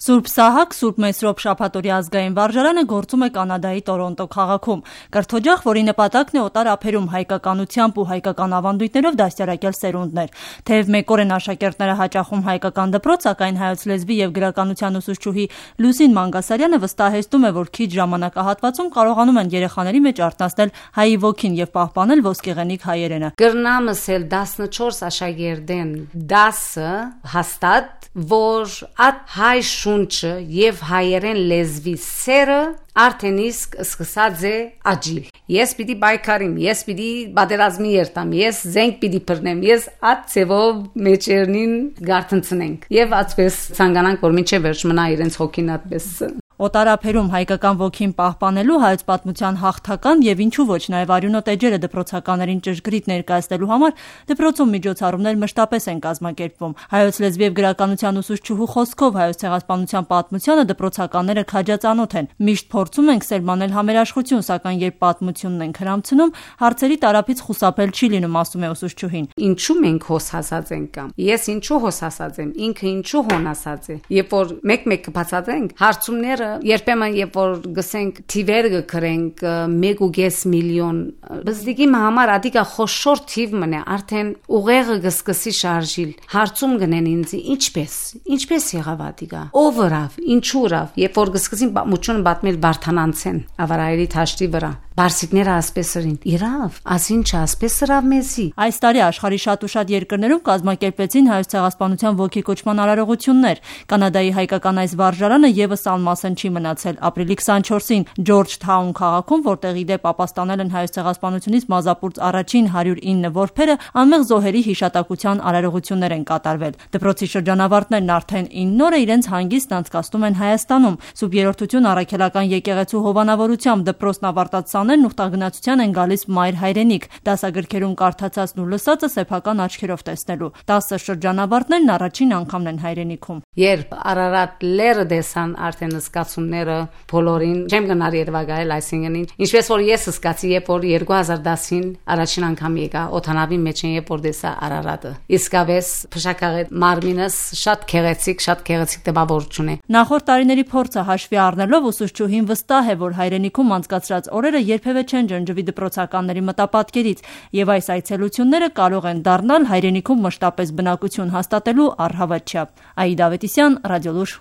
Սուրբ Սահակ, Սուրբ Մեսրոպ շաբաթօրյա ազգային վարժարանը գործում է Կանադայի Տորոնտո քաղաքում։ Կրթօջախ, որի նպատակն է օտար ափերում հայկականությամբ ու հայկական ավանդույթներով դաստիարակել սերունդներ։ Թեև մեկ օր են աշակերտները հաճախում հայկական դպրոց, սակայն հայոց լեզվի եւ գրականության ուսուցչուհի Լուսին Մանգասարյանը վստահեցնում է, որ քիչ ժամանակահատվածում կարողանում են երեխաների մեջ արթնացնել հայի ոգին եւ պահպանել ոսկեղենիկ հայերենը։ Գրնամս էլ 14 աշակերտեն 10 հաստատ, որ at հայ շունչը եւ հայերեն լեզվի սերը արդեն իսկ սկսած է աճիլ։ Ես պիտի բայկարիմ, ես պիտի բادرազմի երթամ, ես զենք պիտի բռնեմ, ես at ծևով մեջերնին գարտնցնենք եւ այդպես ցանկանանք, որ մինչեւ վերջ մնա իրենց հոգին այդպես։ Օտար ափերում հայկական ոգին պահպանելու, հայոց պատմության հաղթական եւ ինչու ոչ նաեւ արյունոտ էջերը դպրոցականներին ճշգրիտ ներկայացնելու համար դպրոցում միջոցառումներ մշտապես են կազմակերպվում։ Հայոց լեզվի եւ գրականության ուսուցչուհու խոսքով հայոց ցեղասպանության պատմությանը դպրոցականները քաջածանոթ են։ Միշտ փորձում ենք սերմանել համերաշխություն, սակայն երբ պատմությունն ենք հրամցնում, հարցերի տարափից խուսափել չի լինում, ասում է ուսուցչուհին։ Ինչու մենք հոս հասած ենք կամ ես ինչու հոս հասած եմ, ինքը ինչու հոն ասած է։ Երբ որ մեկ կբացատրենք, հարցումները երբեմն երբ որ գսենք թիվերը գրենք 1.5 միլիոն բզդիգի համար ադիկա խոշոր թիվ մնե արդեն ուղեղը գսկսի շարժիլ հարցում գնեն ինձ ինչպես եղավ ադիկա overավ ինչուրավ երբ որ գսկսին պատմություն պատմել բարթանանցեն ավարայերի թաշտի վրա բարսիկները ասպես էին իրավ ասինչը ասպես սրավ մեզի։ Այս տարի աշխարհի շատ ու շատ երկրներում կազմակերպեցին հայոց ցեղասպանության ոգեկոչման արարողություններ։ Կանադայի հայկական այս վարժարանը եւս անմասն չի մնացել։ Ապրիլի 24-ին Ջորջթաուն քաղաքում, որտեղ ի դեպ ապաստանել են հայոց ցեղասպանությունից մազապուրծ առաջին 109 որբերը, անմեղ զոհերի հիշատակության արարողություններ են կատարվել։ Դպրոցի շրջանավարտներն արդեն 9 օր իրենց հանգիստն անցկացնում են Հայաստանում։ Սուրբ Երրորդություն առաքելական եկեղեցու հովանավորությամբ դպրոցն ավարտած սաներն ուխտագնացության են գալիս մայր հայրենիք։ Դասագրքերում կարդացածն ու լսածը սեփական աչքերով տեսնելու։ 10 շրջանավարտներն առաջին անգամն են հայրենիքում։ Երբ Արարատ լերը դեսան արդեն զգացումները բոլորին չեմ գնար Երևանայել այսինքն ինչպես որ ես զգացի երբ որ 2010-ին առաջին անգամ եկա օթանավի մեջ երբ որ դեսա Արարատը իսկապես փշակաղի մարմինս շատ քեղեցիկ տպավորություն է։ Նախորդ տարիների փորձը հաշվի առնելով ուսուցչուհին վստահ է, որ հայրենիքում անցկացրած օրերը երբևէ չեն ջնջվի դպրոցականների մտապատկերից եւ այս այցելությունները կարող են դառնալ հայրենիքում մշտապես բնակություն հաստատելու առհավատ չափ։ Այդա Ավետիսյան, Ռադիոլուր։